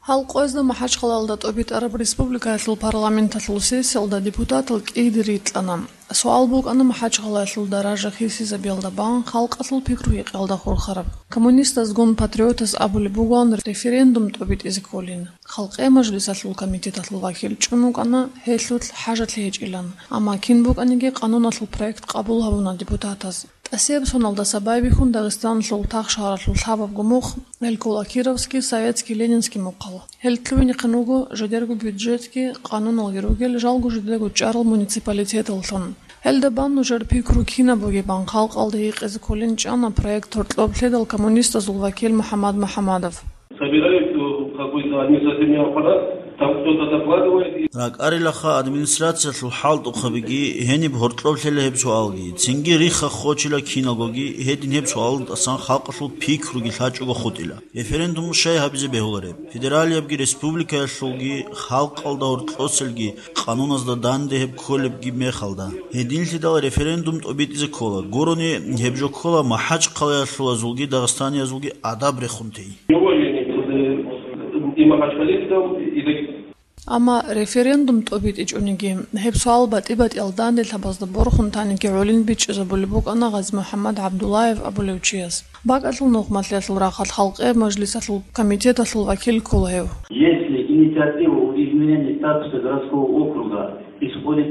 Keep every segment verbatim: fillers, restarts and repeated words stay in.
Гьал къоязда МахӀачхъалаялда тӀобитӀараб республикаялъул парламенталъул сессиялда депутатал кӀиги рикьана. Суал букӀана МахӀачхъалаялъул даража хисизабиялда бан халкъалъул пикру-гьекъиялда хурхараб. Коммунистазгун патриотаз абулеб бугоан референдум тӀобитӀизе кколин. Халкъе мажлисалъул комитеталъул вакил чӀун вукӀана гьелъулъ хӀажалъи гьечӀилан, амма кин букӀаниги къануналъул проект къабул гьабуна депутатаз. ТӀасияб соналдаса байбихьун Дагъистаналъул тахшагьаралъул лъабабго мухъ, гьел ккола Кировский, Советский, Ленинский мухъал. Гьел лъугьинехъин вуго жидерго бюджетги къануналги ругел жалго жидерго чӀарал муниципалитеталлъун. Гьелда бан нужер пикру кинаб бугебан халкъалда гьикъизе кколин чӀана проект гьоркьоб лъедал коммунистазул вакил МухӀаммад МухӀаммадов. Собирают, э, какой-то административный аппарат, там кто-то докладывает. РакӀарилаха администрациялъул хӀалтӀухъабиги гьениб гьоркьоб лъела гьеб суалги, цинги рихха хочила киналгоги гьедин гьеб суалдасан халкъалъул пикруги лъачӀого хутӀила. Референдум щай гьабизе бегьулареб? Федералиябги республикаялъулги халкъалда гьоркьоселги къануназда данде гьеб кколебги мехалда. Гьединлъидал референдум тӀобитӀизе ккола. Гурони гьеб жо ккола МахӀачхъалаялъулазулги дагъистаниязулги адаб рехун тей. Неуважение к, э, и махачкалинцам, и даг- Амма референдум тӀобитӀичӀониги, гьеб суал батӀи-батӀиял данделъабазда борхун таниги гӀолин бичӀчӀизабулеб букӀана Гъази-МухӀаммад ГӀабдуллаев абулев чияс. БакӀалъул нухмалъиялъул рахъалъ халкъе мажлисалъул комитеталъул вакил ккола гьев. Если инициатива о изменении статуса городского округа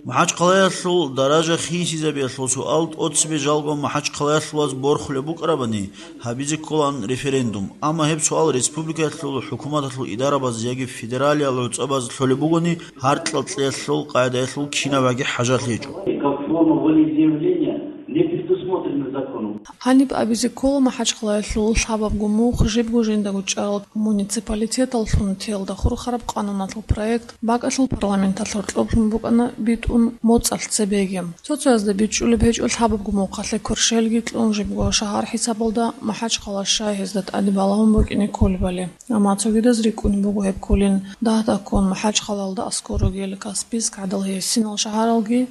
МахӀачхъалаялъул даража хисизабиялъул суал тӀоцебе жалго МахӀачхъалаялъулаз борхулеб букӀарабани, гьабизе кколаан референдум. Амма гьеб суал республикаялъул хӀукуматалъул идарабаз яги федералиял гӀуцӀабаз лъолеб бугони, гьаркьал кьеялъул къагӀидаялъул кинабгӀаги хӀажалъи гьечӀо. Как форма волеизъявления не предусмотрено законом. Гьаниб абизе ккола МахӀачхъалаялъул лъабабго мухъ жибго жиндаго чӀарал муниципалитеталлъун тиялда хурхараб къануналъул проект бакӀалъул парламенталъ гьоркьоблъун букӀана битӀун моцӀалъ цебеги. Цо-цоязда бичӀчӀулеб гьечӀо лъабабго мухъалъе кверщелги кьун жибго шагьар хӀисабалда МахӀачхъала щай гьезда тӀаде балагьун букӀине кколебали. Амма цогидаз рикӀкӀунеб буго гьеб кколин дагь-дагьккун МахӀачхъалаялда аскӀор ругел Каспийск гӀадал гьесинал шагьаралги,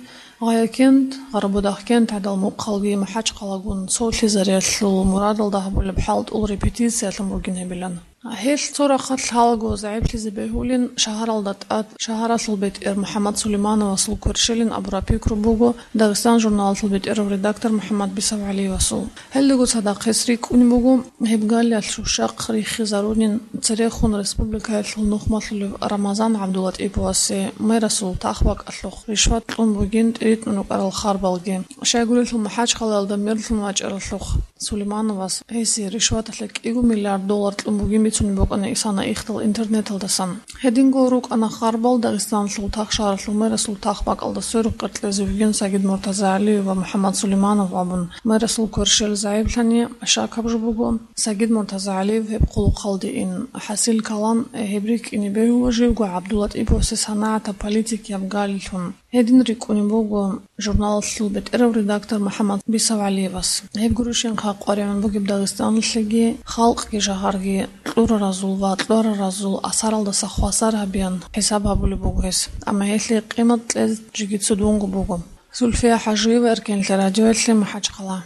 Гъаякент, Гъарбудахкент гӀадал мухъалги МахӀачхъалагун цо лъезариялъул мурадалда гьабулеб хӀалтӀул репетициялъун бугин гьебилан. Гьелъ цо рахъалъ гьалаго загӀиплъизе бегьулин шагьаралда тӀад шагьаралъул бетӀер МухӀаммад Сулеймановасул кверщелин абураб пикру буго Дагъистан журналалъул бетӀерав редактор МухӀаммад Бисав ГӀалиевасул. Гьелдаго цадахъ гьес рикӀкӀунеб буго гьеб галиялъ щущахъ риххизарунин церехун республикаялъул нухмалъулев Рамазан ГӀабдулатӀиповасе мэрасул тахбакӀалъухъ ришват кьун бугин тӀиритӀун рукӀарал харбалги. Щайгурелъул МахӀачхъалаялда мерлъун вачӀаралъухъ Сулеймановас гьесие ришваталъе кӀиго миллиард доллар кьун бугин бицунеб букӀана исана ихдал интернеталдасан. Гьединго рукӀана харбал Дагъистаналъул тахшагьаралъул мэрасул тахбакӀалда сверухъ къеркьезе вугин Сагид МуртазагӀалиев ва МухӀаммад Сулейманов абун, мэрасул кверщел загӀиплъани, шакаб жо буго, Сагид МуртазагӀалиев гьеб хъулухъалде ин, хӀасил калам, гьеб рикӀкӀине бегьула живго ГӀабдулатӀиповасе санагӀатаб политикияб галилъун. Гьедин рикӀкӀунеб буго журналалъул бетӀерав редактор МухӀаммад Бисав ГӀалиевас. Гьеб гурищинха къваригӀун бугеб Дагъистаналъеги, халкъги жагьарги кьураразул ва кьвараразул асаралдаса хвасар гьабеян хӀисаб гьабулеб буго гьес, амма гьелъие къимат кьез жеги цудунго буго. Зульфия ХӀажиева, Эркенлъи радиоялъе, МахӀачхъала.